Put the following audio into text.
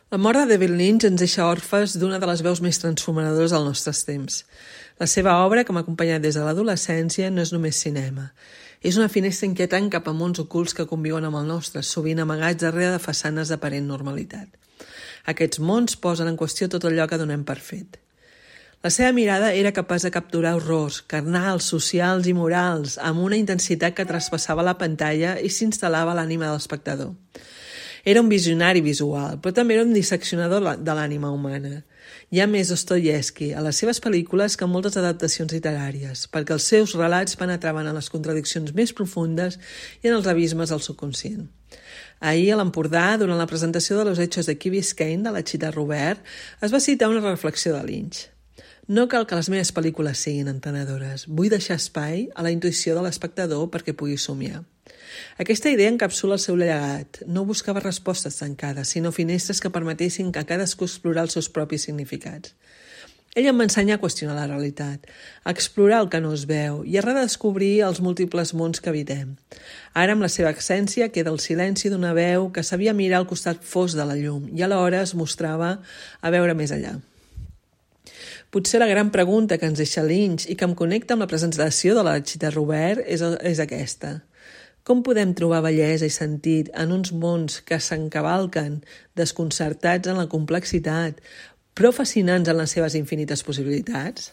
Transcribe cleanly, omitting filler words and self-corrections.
La mort de David Lynch ens deixa orfes d'una de les veus més transformadores dels nostres temps. La seva obra, que m'ha acompanyat des de l'adolescència, no és només cinema. És una finestra inquietant cap a mons ocults que conviuen amb el nostre, sovint amagats darrere de façanes d'aparent normalitat. Aquests mons posen en qüestió tot allò que donem per fet. La seva mirada era capaç de capturar horrors, carnals, socials i morals, amb una intensitat que traspassava la pantalla i s'instal·lava a l'ànima de l'espectador. Era un visionari visual, però també era un disseccionador de l'ànima humana. Hi ha més Dostoievski a les seves pel·lícules que en moltes adaptacions literàries, perquè els seus relats penetraven en les contradiccions més profundes i en els abismes del subconscient. Ahir, a l'Empordà, durant la presentació de Los Hechos de Key Biscayne de la Chita Robert, es va citar una reflexió de Lynch. No cal que les meves pel·lícules siguin entenedores. Vull deixar espai a la intuïció de l'espectador perquè pugui somiar. Aquesta idea encapsula el seu llegat. No buscava respostes tancades, sinó finestres que permetessin a cadascú explorar els seus propis significats. Ell em va ensenyar a qüestionar la realitat, a explorar el que no es veu i a redescobrir els múltiples mons que habitem. Ara, amb la seva essència, queda el silenci d'una veu que sabia mirar al costat fosc de la llum i alhora es mostrava a veure més enllà. Potser la gran pregunta que ens deixa Lynch i que em connecta amb la presentació de la Chita Robert és aquesta. Com podem trobar bellesa i sentit en uns mons que s'encavalquen, desconcertats en la complexitat, però fascinants en les seves infinites possibilitats?